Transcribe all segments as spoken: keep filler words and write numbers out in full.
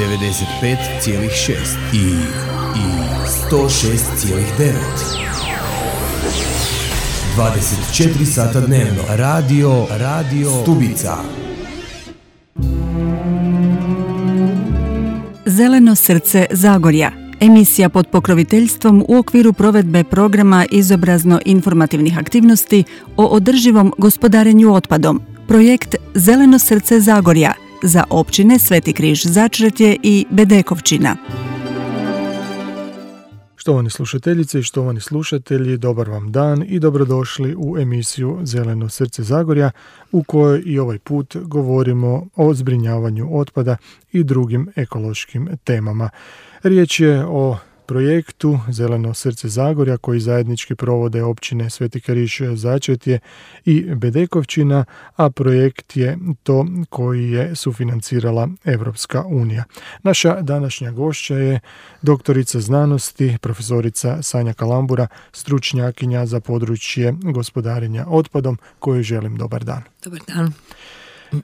devedeset pet zarez šest i, i sto šest zarez devet. dvadeset četiri sata dnevno. Radio, radio Stubica. Zeleno srce Zagorja. Emisija pod pokroviteljstvom u okviru provedbe programa izobrazno-informativnih aktivnosti o održivom gospodarenju otpadom. Projekt Zeleno srce Zagorja za općine Sveti Križ Začretje i Bedekovčina. Štovani slušateljice i štovani slušatelji, dobar vam dan i dobrodošli u emisiju Zeleno srce Zagorja, u kojoj i ovaj put govorimo o zbrinjavanju otpada i drugim ekološkim temama. Riječ je o projektu Zeleno srce Zagorja koji zajednički provode općine Sveti Križ Začretje i Bedekovčina, a projekt je to koji je sufinancirala Evropska unija. Naša današnja gošća je doktorica znanosti, profesorica Sanja Kalambura, stručnjakinja za područje gospodarenja otpadom, kojoj želim dobar dan. Dobar dan.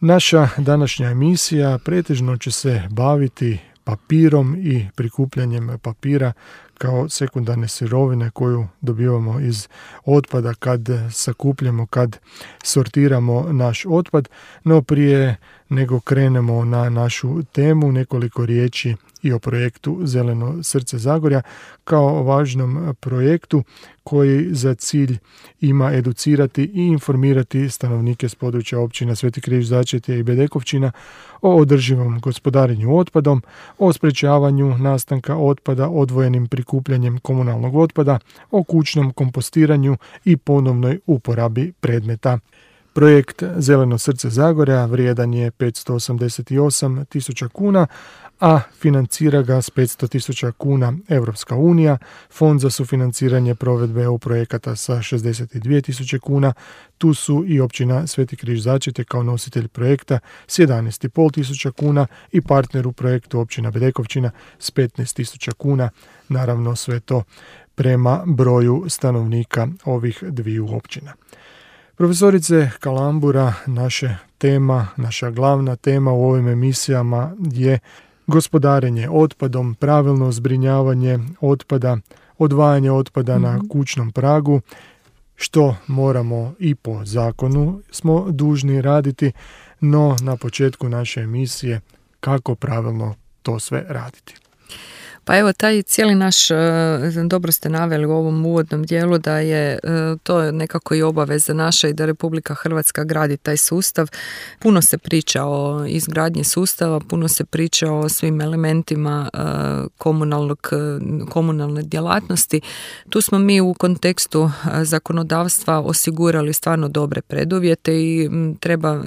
Naša današnja emisija pretežno će se baviti papirom i prikupljanjem papira kao sekundarne sirovine koju dobivamo iz otpada kad sakupljamo, kad sortiramo naš otpad. No prije nego krenemo na našu temu, nekoliko riječi i o projektu Zeleno srce Zagorja kao važnom projektu koji za cilj ima educirati i informirati stanovnike s područja općina Sveti Križ Začretje i Bedekovčina o održivom gospodarenju otpadom, o sprečavanju nastanka otpada odvojenim prikupljanjem komunalnog otpada, o kućnom kompostiranju i ponovnoj uporabi predmeta. Projekt Zeleno srce Zagorja vrijedan je petsto osamdeset osam tisuća kuna, a financira ga s petsto tisuća kuna Evropska unija, Fond za sufinanciranje provedbe E U projekata sa šezdeset dvije tisuće kuna, tu su i općina Sveti Križ Začretje kao nositelj projekta s jedanaest i pol tisuća kuna i partner u projektu općina Bedekovčina s petnaest tisuća kuna, naravno sve to prema broju stanovnika ovih dviju općina. Profesorice Kalambura, naša tema, naša glavna tema u ovim emisijama je gospodarenje otpadom, pravilno zbrinjavanje otpada, odvajanje otpada mm-hmm. na kućnom pragu, što moramo i po zakonu smo dužni raditi, no na početku naše emisije kako pravilno to sve raditi. Pa evo, taj cijeli naš, dobro ste naveli u ovom uvodnom dijelu da je to nekako i obaveza naša i da Republika Hrvatska gradi taj sustav. Puno se priča o izgradnji sustava, puno se priča o svim elementima komunalnog, komunalne djelatnosti. Tu smo mi u kontekstu zakonodavstva osigurali stvarno dobre preduvjete i treba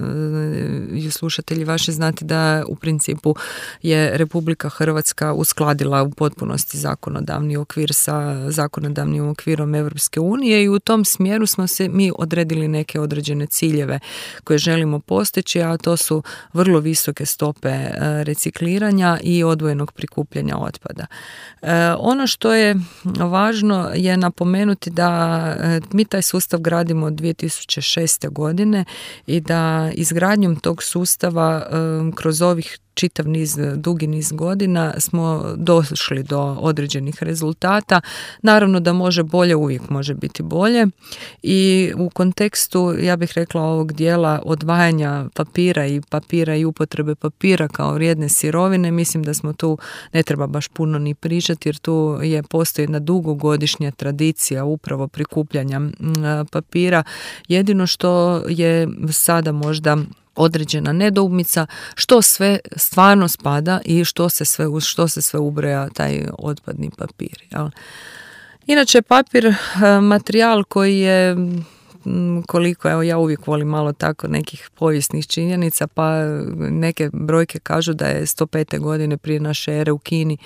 i slušatelji vaši znati da u principu je Republika Hrvatska uskladila u potpunosti zakonodavni okvir sa zakonodavnim okvirom Evropske unije i u tom smjeru smo se mi odredili neke određene ciljeve koje želimo postići, a to su vrlo visoke stope recikliranja i odvojenog prikupljanja otpada. Ono što je važno je napomenuti da mi taj sustav gradimo od dvije tisuće šeste. godine i da izgradnjom tog sustava kroz ovih čitav niz, dugi niz godina smo došli do određenih rezultata. Naravno da može bolje, uvijek može biti bolje i u kontekstu, ja bih rekla, ovog dijela odvajanja papira i papira i upotrebe papira kao vrijedne sirovine, mislim da smo tu, ne treba baš puno ni pričati jer tu je postoji jedna dugogodišnja tradicija upravo prikupljanja papira. Jedino što je sada možda određena nedoumica, što sve stvarno spada i što se sve, što se sve ubraja taj otpadni papir. Jel? Inače, papir, materijal koji je, koliko, evo ja uvijek volim malo tako nekih povijesnih činjenica, pa neke brojke kažu da je sto pete godine prije naše ere u Kini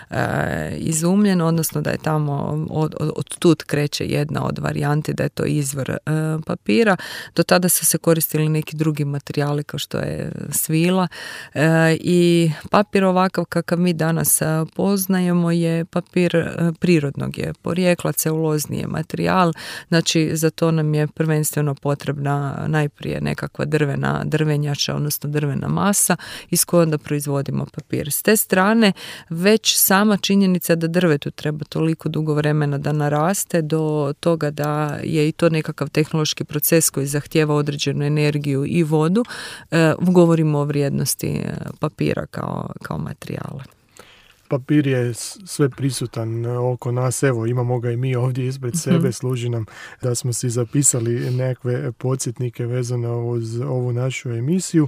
e, izumljen, odnosno da je tamo od, od, od tud kreće jedna od varijanti da je to izvor e, papira. Do tada su se koristili neki drugi materijali kao što je svila e, i papir ovakav kakav mi danas poznajemo je papir e, prirodnog je porijekla, celulozni je materijal, znači za to nam je prvenstveno potrebna najprije nekakva drvena, drvenjača, odnosno drvena masa iz koje onda proizvodimo papir. S te strane već sama činjenica da drvetu treba toliko dugo vremena da naraste do toga da je i to nekakav tehnološki proces koji zahtijeva određenu energiju i vodu, e, govorimo o vrijednosti papira kao, kao materijala. Papir je sve prisutan oko nas, evo imamo ga i mi ovdje ispred sebe, mm-hmm. služi nam da smo si zapisali nekakve podsjetnike vezano uz ovu našu emisiju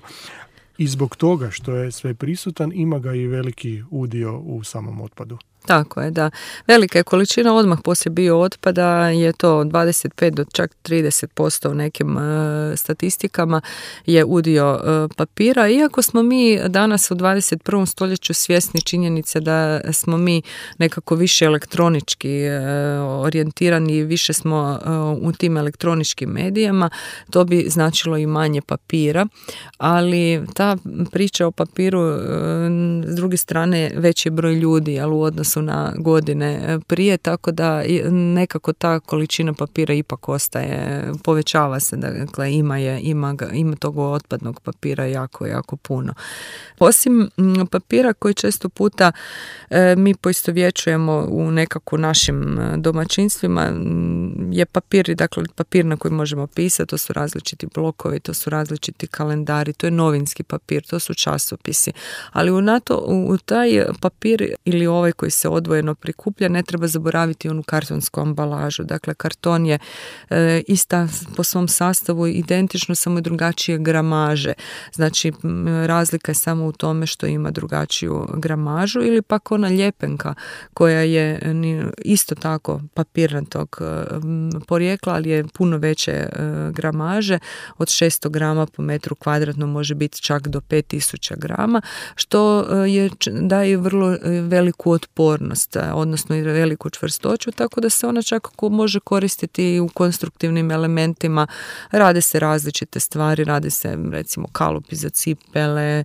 i zbog toga što je sve prisutan ima ga i veliki udio u samom otpadu. Tako je, da. Velika je količina odmah poslije bio otpada, je to dvadeset pet do čak trideset posto u nekim e, statistikama je udio e, papira. Iako smo mi danas u dvadeset prvom stoljeću svjesni činjenice da smo mi nekako više elektronički e, orijentirani, više smo e, u tim elektroničkim medijama, to bi značilo i manje papira, ali ta priča o papiru e, s druge strane veći broj ljudi, ali u odnosu na godine prije, tako da nekako ta količina papira ipak ostaje, povećava se, dakle ima je, ima, ga, ima tog otpadnog papira jako, jako puno. Osim papira koji često puta e, mi poistovjećujemo u nekako našim domaćinstvima je papir, dakle papir na koji možemo pisati, to su različiti blokovi, to su različiti kalendari, to je novinski papir, to su časopisi, ali u, NATO, u, u taj papir ili ovaj koji se odvojeno prikuplja, ne treba zaboraviti onu kartonsku ambalažu. Dakle, karton je e, ista po svom sastavu identično, samo drugačije gramaže. Znači, razlika je samo u tome što ima drugačiju gramažu ili pak ona ljepenka koja je isto tako papirnatog porijekla, ali je puno veće e, gramaže, od šesto grama po metru kvadratnom može biti čak do pet tisuća grama, što je, daje vrlo veliku otpornost, odnosno i veliku čvrstoću, tako da se ona čak može koristiti u konstruktivnim elementima. Rade se različite stvari, rade se recimo kalupi za cipele,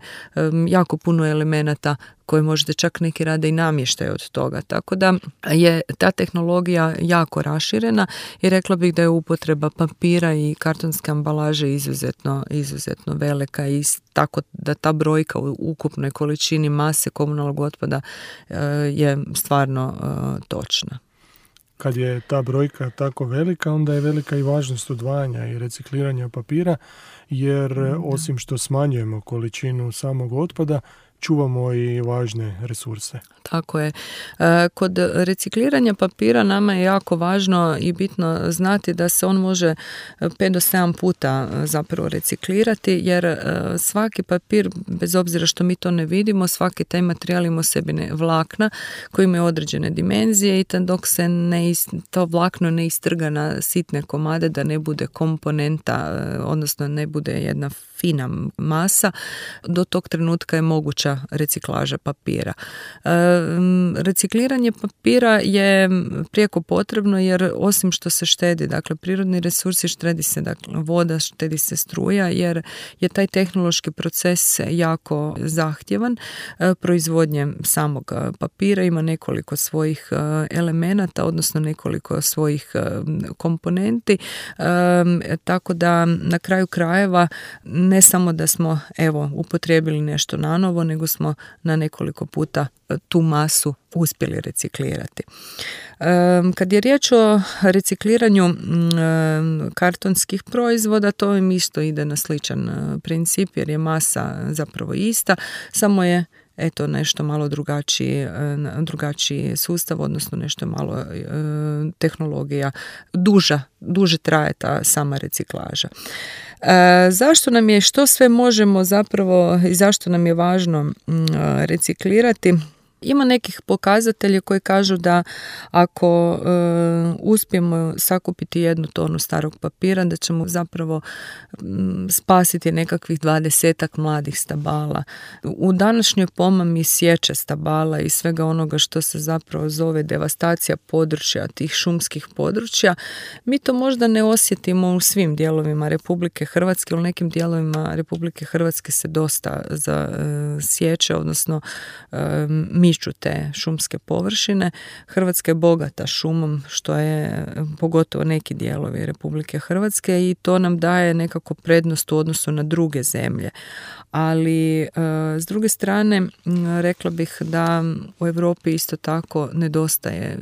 jako puno elemenata koje možete čak neki rade i namještaj od toga. Tako da je ta tehnologija jako raširena i rekla bih da je upotreba papira i kartonske ambalaže izuzetno, izuzetno velika i tako da ta brojka u ukupnoj količini mase komunalnog otpada je stvarno točna. Kad je ta brojka tako velika, onda je velika i važnost odvajanja i recikliranja papira, jer osim što smanjujemo količinu samog otpada, čuvamo i važne resurse. Tako je. Kod recikliranja papira nama je jako važno i bitno znati da se on može pet do sedam puta zapravo reciklirati, jer svaki papir, bez obzira što mi to ne vidimo, svaki taj materijal ima u sebi vlakna koji imaju određene dimenzije i dok se ne, to vlakno ne istrga na sitne komade, da ne bude komponenta, odnosno ne bude jedna fina masa, do tog trenutka je moguća reciklaža papira. E, recikliranje papira je prijeko potrebno jer osim što se štedi, dakle prirodni resursi, štedi se dakle, voda, štedi se struja, jer je taj tehnološki proces jako zahtjevan. E, proizvodnje samog papira ima nekoliko svojih elemenata, odnosno nekoliko svojih komponenti, e, tako da na kraju krajeva ne samo da smo evo upotrijebili nešto nanovo, nego smo na nekoliko puta tu masu uspjeli reciklirati. Kad je riječ o recikliranju kartonskih proizvoda, to im isto ide na sličan princip jer je masa zapravo ista, samo je eto nešto malo drugačiji, drugačiji sustav, odnosno nešto malo e, tehnologija, duža, duže traje ta sama reciklaža. E, zašto nam je, što sve možemo zapravo i zašto nam je važno m, reciklirati? Ima nekih pokazatelja koji kažu da ako e, uspijemo sakupiti jednu tonu starog papira, da ćemo zapravo m, spasiti nekakvih dvadesetak mladih stabala. U današnjoj pomami sječe stabala i svega onoga što se zapravo zove devastacija područja, tih šumskih područja, mi to možda ne osjetimo u svim dijelovima Republike Hrvatske, u nekim dijelovima Republike Hrvatske se dosta za, e, sječe, odnosno e, mi miču te šumske površine. Hrvatska je bogata šumom, što je pogotovo neki dijelovi Republike Hrvatske, i to nam daje nekako prednost u odnosu na druge zemlje. Ali e, s druge strane rekla bih da u Europi isto tako nedostaje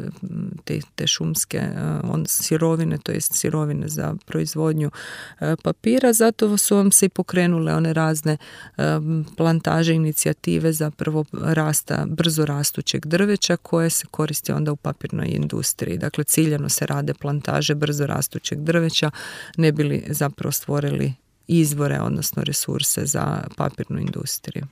te, te šumske e, on, sirovine, to jest sirovine za proizvodnju e, papira, zato su vam se i pokrenule one razne e, plantaže, inicijative za prvo rasta, brzo rastućeg drveća koje se koristi onda u papirnoj industriji. Dakle, ciljano se rade plantaže brzo rastućeg drveća, ne bi li zapravo stvorili izvore, odnosno resurse za papirnu industriju.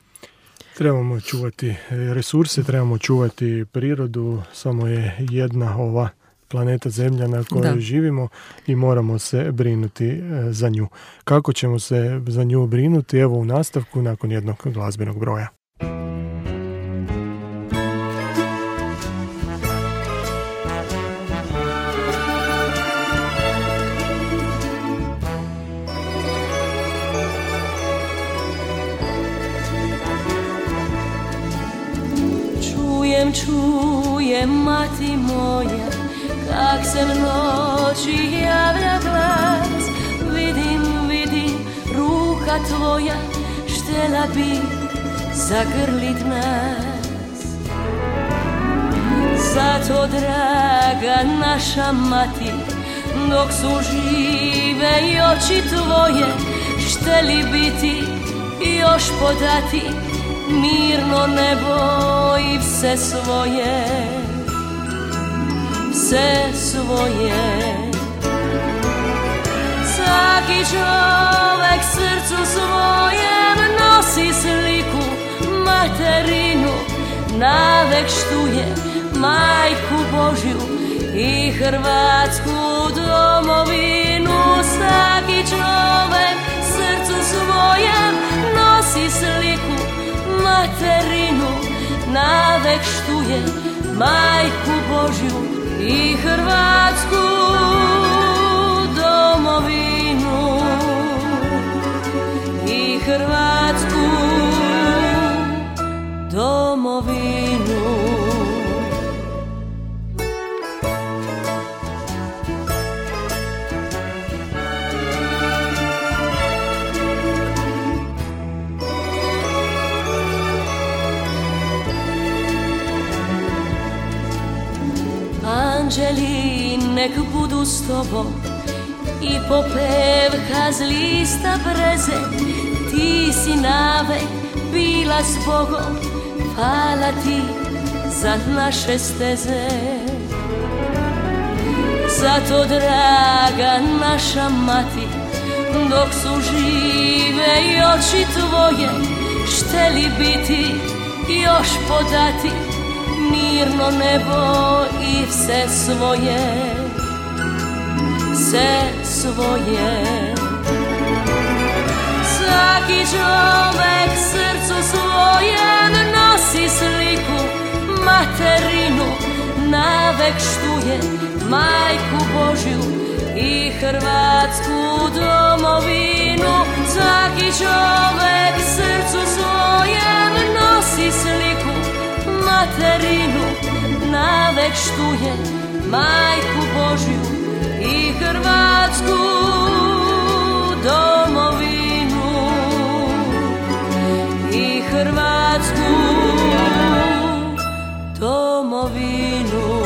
Trebamo čuvati resurse, trebamo čuvati prirodu, samo je jedna ova planeta Zemlja na kojoj da. živimo i moramo se brinuti za nju. Kako ćemo se za nju brinuti? Evo u nastavku nakon jednog glazbenog broja. Čujem, čujem, mati moja, kak se v noći javlja glas. Vidim, vidim, ruka tvoja štela bi zagrlit nas. Zato, draga naša mati, dok su žive i oči tvoje, šteli biti još podati mirno nebo i vse svoje, vse svoje. Svaki čovek srcu svojem nosi sliku materinu, navek štuje majku Božju i Hrvatsku domovinu. Svaki čovek srcu svojem nosi sliku materinu, navek štuje majku Božju i Hrvatsku domovinu, i Hrvatsku domovinu. Anđeli nek budu s tobom i popevka z lista breze. Ti si navek bila s Bogom, hvala ti za naše steze. Zato, draga naša mati, dok su žive i oči tvoje, šteli biti još podati mirno nebo i vse svoje, vse svoje. Svaki čovek srcu svojem nosi sliku materinu, navek štuje majku Božju i Hrvatsku domovinu. Svaki čovek srcu svojem nosi sliku materinu, navek štuje majku Božju i Hrvatsku domovinu, i Hrvatsku domovinu,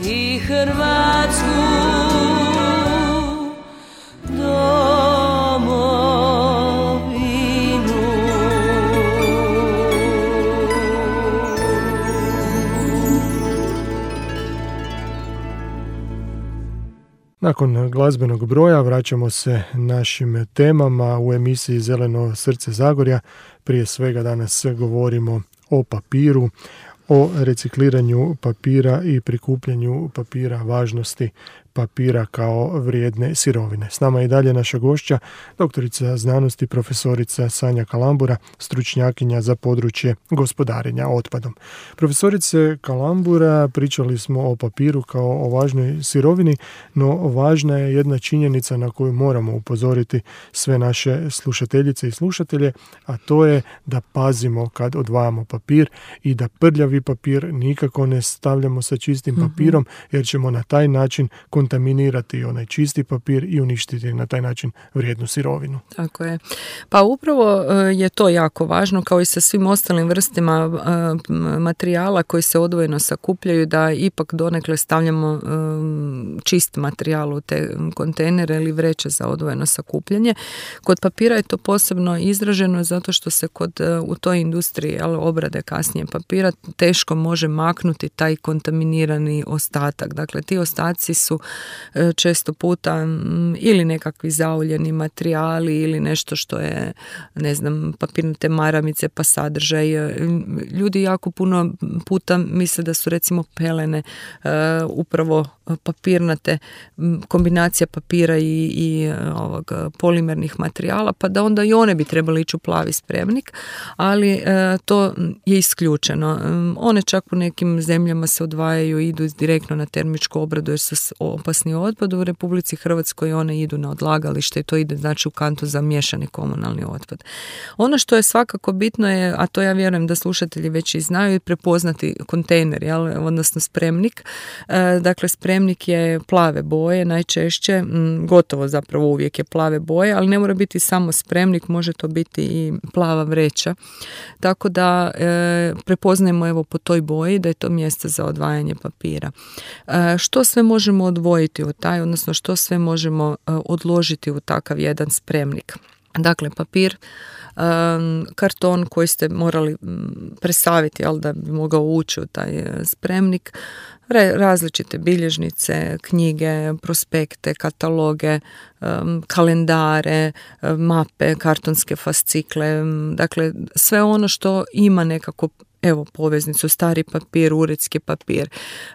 i Hrvatsku domovinu. Nakon glazbenog broja vraćamo se našim temama u emisiji Zeleno srce Zagorja. Prije svega danas govorimo o papiru, o recikliranju papira i prikupljanju papira, važnosti papira kao vrijedne sirovine. S nama je i dalje naša gošća, doktorica znanosti, profesorica Sanja Kalambura, stručnjakinja za područje gospodarenja otpadom. Profesorice Kalambura, pričali smo o papiru kao o važnoj sirovini, no važna je jedna činjenica na koju moramo upozoriti sve naše slušateljice i slušatelje, a to je da pazimo kad odvajamo papir i da prljavi papir nikako ne stavljamo sa čistim papirom, jer ćemo na taj način kontaminirati onaj čisti papir i uništiti na taj način vrijednu sirovinu. Tako je. Pa upravo je to jako važno, kao i sa svim ostalim vrstama materijala koji se odvojeno sakupljaju, da ipak donekle stavljamo čist materijal u te kontejnere ili vreće za odvojeno sakupljanje. Kod papira je to posebno izraženo zato što se kod u toj industriji, ali obrade kasnije papira, teško može maknuti taj kontaminirani ostatak. Dakle, ti ostaci su često puta ili nekakvi zauljeni materijali ili nešto što je, ne znam, papirnate maramice pa sadržaj. Ljudi jako puno puta misle da su recimo pelene uh, upravo papirnate, kombinacija papira i, i ovog polimernih materijala, pa da onda i one bi trebali ići u plavi spremnik, ali uh, to je isključeno. Um, one čak u nekim zemljama se odvajaju i idu direktno na termičku obradu jer su opasni otpad. U Republici Hrvatskoj one idu na odlagalište i to ide znači u kantu za miješani komunalni otpad. Ono što je svakako bitno je, a to ja vjerujem da slušatelji već i znaju, je prepoznati kontejner, jel? Odnosno spremnik. E, dakle, spremnik je plave boje, najčešće, m, gotovo zapravo uvijek je plave boje, ali ne mora biti samo spremnik, može to biti i plava vreća. Tako da e, prepoznajemo evo po toj boji da je to mjesto za odvajanje papira. E, što sve možemo odvojiti u taj, odnosno što sve možemo e, odložiti u takav jedan spremnik? Dakle, papir, um, karton koji ste morali presaviti, jel, da bi mogao ući u taj spremnik, Re, različite bilježnice, knjige, prospekte, kataloge, um, kalendare, mape, kartonske fascikle, dakle sve ono što ima nekako evo poveznicu, stari papir, uredski papir.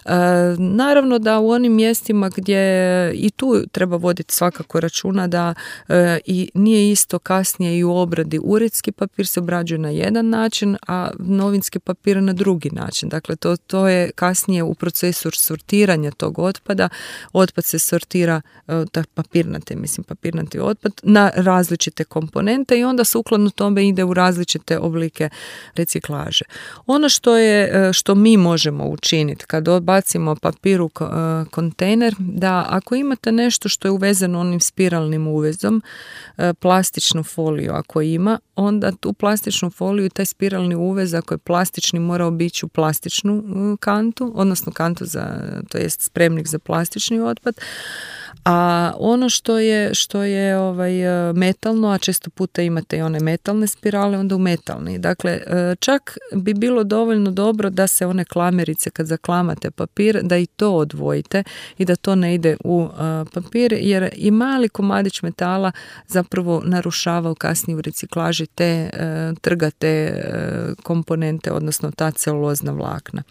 E, naravno da u onim mjestima gdje i tu treba voditi svakako računa da e, i nije isto kasnije i u obradi uredski papir se obrađuje na jedan način, a novinski papir na drugi način. Dakle, to, to je kasnije u procesu sortiranja tog otpada. Otpad se sortira, e, papirnate, mislim papirnati otpad, na različite komponente i onda sukladno tome ide u različite oblike reciklaže. Ono što je, što mi možemo učiniti kad odbacimo papir u kontejner, da ako imate nešto što je uvezeno onim spiralnim uvezom, plastičnu foliju ako ima, onda tu plastičnu foliju i taj spiralni uvez, ako je plastični, mora obići u plastičnu kantu, odnosno kantu za, to jest spremnik za plastični otpad. A ono što je, što je ovaj, metalno, a često puta imate i one metalne spirale, onda u metalni. Dakle, čak bi bilo dovoljno dobro da se one klamerice, kad zaklamate papir, da i to odvojite i da to ne ide u uh, papir, jer i mali komadić metala zapravo narušava u kasnije u reciklaži te uh, trgate uh, komponente, odnosno ta celulozna vlakna.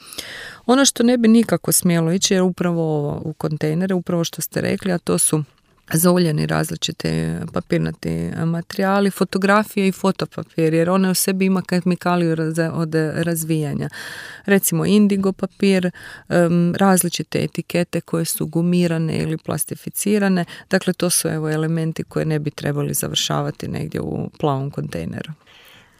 Ono što ne bi nikako smjelo ići je upravo ovo u kontejnere, upravo što ste rekli, a to su zauljeni različite papirnati materijali, fotografije i fotopapir, jer one u sebi ima kemikaliju od razvijanja. Recimo indigo papir, različite etikete koje su gumirane ili plastificirane, dakle to su evo elementi koje ne bi trebali završavati negdje u plavom kontejneru.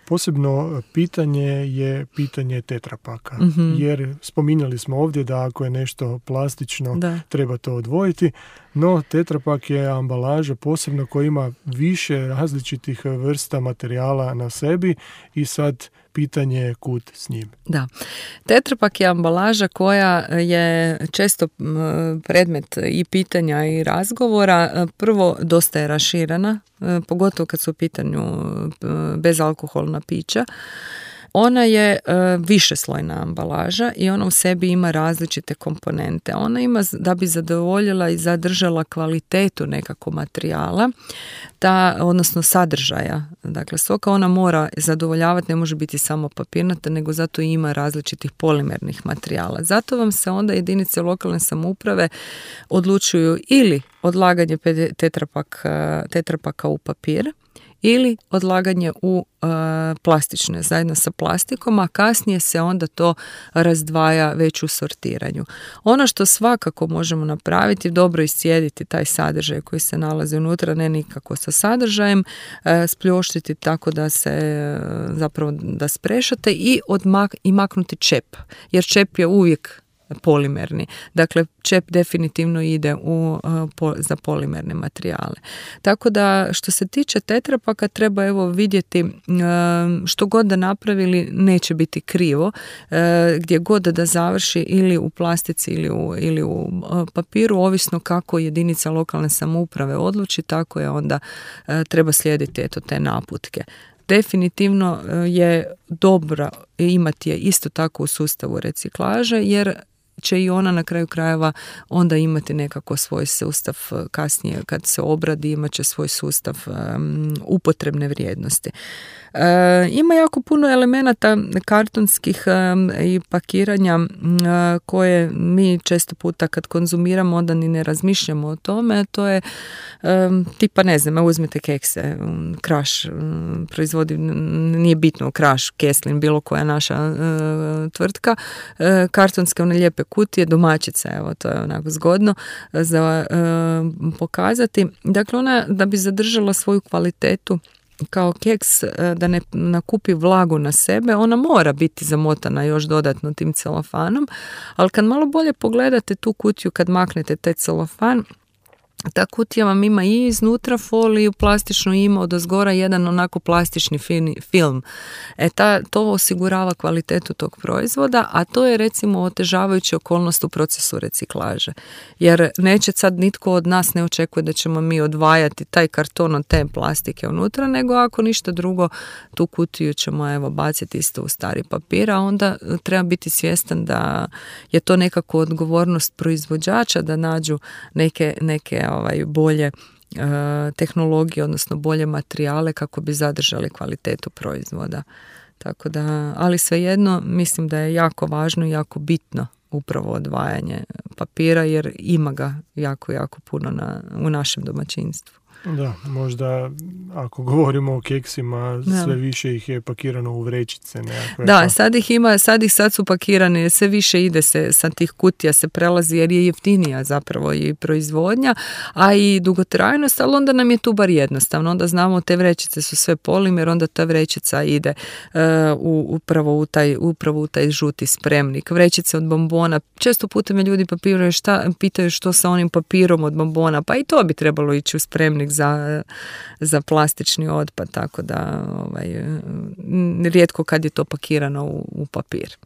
Posebno pitanje je pitanje tetrapaka, mm-hmm. jer spominjali smo ovdje da ako je nešto plastično da. treba to odvojiti, no tetrapak je ambalaža posebno koja ima više različitih vrsta materijala na sebi i sad pitanje je kud s njim. Da. Tetrapak je ambalaža koja je često predmet i pitanja i razgovora. Prvo, dosta je raširena, pogotovo kad su u pitanju bezalkoholna pića. ona je uh, višeslojna ambalaža i ona u sebi ima različite komponente. Ona ima, da bi zadovoljila i zadržala kvalitetu nekakvog materijala, ta, odnosno sadržaja. Dakle, stoga ona mora zadovoljavati, ne može biti samo papirnata, nego zato i ima različitih polimernih materijala. Zato vam se onda jedinice lokalne samouprave odlučuju ili odlaganje tetrapak, tetrapaka u papir, ili odlaganje u e, plastične zajedno sa plastikom, a kasnije se onda to razdvaja već u sortiranju. Ono što svakako možemo napraviti, dobro iscijediti taj sadržaj koji se nalazi unutra, ne nikako sa sadržajem, e, spljoštiti tako da se e, zapravo da sprešate i, odmak, i maknuti čep, jer čep je uvijek polimerni. Dakle, čep definitivno ide u, uh, po, za polimerne materijale. Tako da, što se tiče tetrapaka, treba evo vidjeti uh, što god da napravili, neće biti krivo. Uh, gdje god da završi ili u plastici ili u, ili u uh, papiru, ovisno kako jedinica lokalne samouprave odluči, tako je onda uh, treba slijediti eto te naputke. Definitivno je dobro imati je isto tako u sustavu reciklaže, jer će i ona na kraju krajeva onda imati nekako svoj sustav kasnije kad se obradi, imat će svoj sustav um, upotrebne vrijednosti. E, ima jako puno elemenata kartonskih um, i pakiranja um, koje mi često puta kad konzumiramo onda ni ne razmišljamo o tome. To je um, tipa ne znam, uzmite kekse, um, Kraš um, proizvodi, nije bitno Kraš, Keslin, bilo koja naša uh, tvrtka, uh, kartonske one lijepe kutije, domaćice, evo to je onako zgodno za uh, pokazati. Dakle, ona da bi zadržala svoju kvalitetu kao keks, da ne nakupi vlagu na sebe, ona mora biti zamotana još dodatno tim celofanom, ali kad malo bolje pogledate tu kutiju, kad maknete taj celofan, ta kutija vam ima i iznutra foliju plastičnu, ima odozgora jedan onako plastični film. E ta, to osigurava kvalitetu tog proizvoda, a to je recimo otežavajuća okolnost u procesu reciklaže. Jer neće sad nitko od nas ne očekuje da ćemo mi odvajati taj karton od te plastike unutra, nego ako ništa drugo, tu kutiju ćemo evo baciti isto u stari papir, a onda treba biti svjestan da je to nekako odgovornost proizvođača da nađu neke, neke ovaj, bolje uh, tehnologije, odnosno bolje materijale kako bi zadržali kvalitetu proizvoda. Tako da, ali svejedno mislim da je jako važno i jako bitno upravo odvajanje papira, jer ima ga jako, jako puno na, u našem domaćinstvu. Da, možda ako govorimo o keksima, da. Sve više ih je pakirano u vrećice nekakve. Da, pa... sad ih ima, sad ih sad su pakirane, sve više ide se sa tih kutija se prelazi jer je jeftinija zapravo i proizvodnja, a i dugotrajnost, ali onda nam je tu bar jednostavno, onda znamo te vrećice su sve polimer, onda ta vrećica ide uh, u, upravo, u taj, upravo u taj žuti spremnik. Vrećice od bombona, često puta me ljudi papiraju šta, pitaju što sa onim papirom od bombona, pa i to bi trebalo ići u spremnik za, za plastični otpad, tako da ovaj, rijetko kad je to pakirano u, u papir.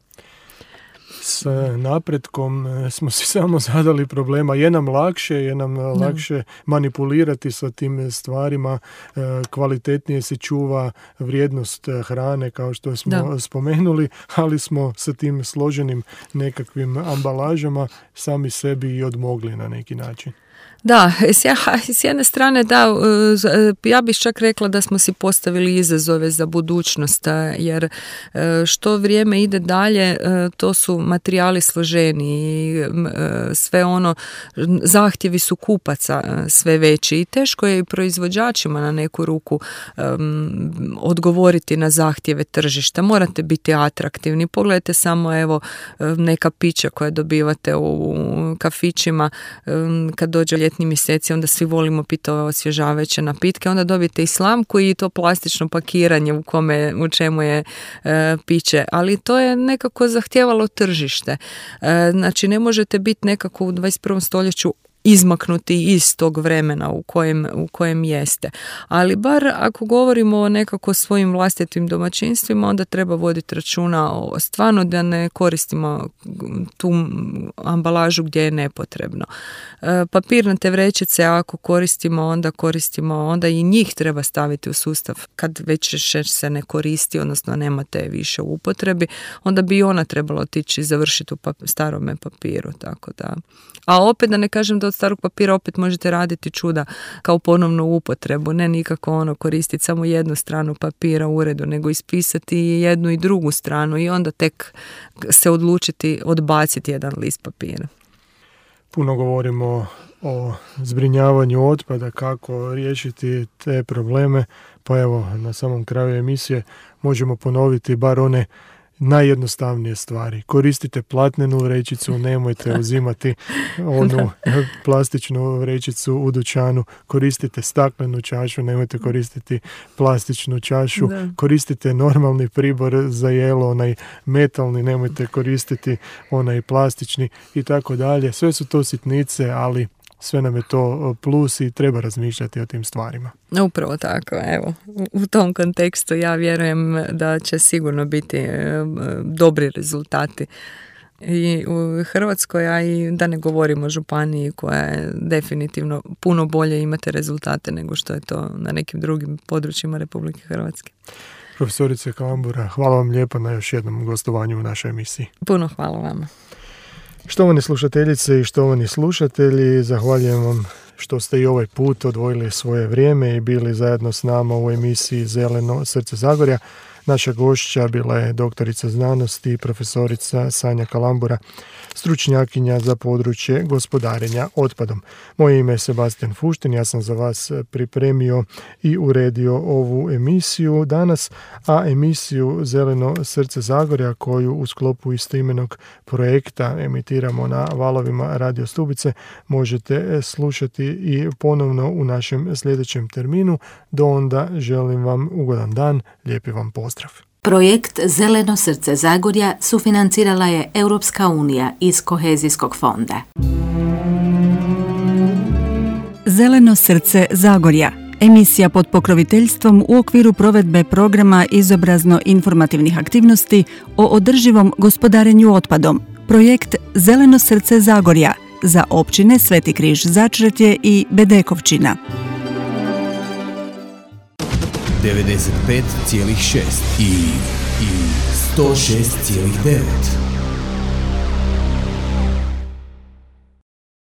S napretkom smo si samo zadali problema. Je nam lakše, je nam no. lakše manipulirati sa tim stvarima, kvalitetnije se čuva vrijednost hrane kao što smo da. spomenuli, ali smo sa tim složenim nekakvim ambalažama sami sebi i odmogli na neki način. Da, s jedne strane da, ja bih čak rekla da smo si postavili izazove za budućnost, jer što vrijeme ide dalje, to su materijali složeniji, sve ono, zahtjevi su kupaca sve veći i teško je i proizvođačima na neku ruku um, odgovoriti na zahtjeve tržišta. Morate biti atraktivni. Pogledajte samo evo neka pića koja dobivate u kafićima um, kad dođe ljetni mjeseci, onda svi volimo piti ove osvježavajuće napitke, onda dobijete i slamku i to plastično pakiranje u kome, u čemu je e, piće, ali to je nekako zahtijevalo tržište. E, znači ne možete biti nekako u dvadeset prvom stoljeću izmaknuti iz tog vremena u kojem, u kojem jeste. Ali bar ako govorimo o nekako svojim vlastitim domaćinstvima, onda treba voditi računa o stvarno da ne koristimo tu ambalažu gdje je nepotrebno. E, papirnate vrećice ako koristimo, onda koristimo, onda i njih treba staviti u sustav. Kad već se ne koristi, odnosno nemate više u upotrebi, onda bi ona trebala otići i završiti u pap- starome papiru, tako da. A opet da ne kažem da od starog papira opet možete raditi čuda kao ponovnu upotrebu, ne nikako ono koristiti samo jednu stranu papira u uredu, nego ispisati jednu i drugu stranu i onda tek se odlučiti odbaciti jedan list papira. Puno govorimo o zbrinjavanju otpada, kako riješiti te probleme, pa evo na samom kraju emisije možemo ponoviti bar one najjednostavnije stvari. Koristite platnenu vrećicu, nemojte uzimati onu plastičnu vrećicu u dućanu. Koristite staklenu čašu, nemojte koristiti plastičnu čašu. Da. Koristite normalni pribor za jelo, onaj metalni, nemojte koristiti onaj plastični i tako dalje. Sve su to sitnice, ali sve nam je to plus i treba razmišljati o tim stvarima. Upravo tako, evo, u tom kontekstu ja vjerujem da će sigurno biti e, dobri rezultati i u Hrvatskoj, a i da ne govorimo o županiji koja je definitivno puno bolje imate rezultate nego što je to na nekim drugim područjima Republike Hrvatske. Profesorice Kalambura, hvala vam lijepo na još jednom gostovanju u našoj emisiji. Puno hvala vama. Štovani slušateljice i štovani slušatelji, zahvaljujem vam što ste i ovaj put odvojili svoje vrijeme i bili zajedno s nama u emisiji Zeleno srce Zagorja. Naša gošća bila je doktorica znanosti i profesorica Sanja Kalambura, stručnjakinja za područje gospodarenja otpadom. Moje ime je Sebastian Fuštin, ja sam za vas pripremio i uredio ovu emisiju danas, a emisiju Zeleno srce Zagorja, koju u sklopu istoimenog projekta emitiramo na valovima Radio Stubice, možete slušati i ponovno u našem sljedećem terminu. Do onda želim vam ugodan dan, lijepi vam pozdrav. Projekt Zeleno srce Zagorja sufinancirala je Europska unija iz Kohezijskog fonda. Zeleno srce Zagorja, emisija pod pokroviteljstvom u okviru provedbe programa izobrazno-informativnih aktivnosti o održivom gospodarenju otpadom. Projekt Zeleno srce Zagorja za općine Sveti Križ Začretje i Bedekovčina. devedeset pet zarez šest i, i sto šest zarez devet.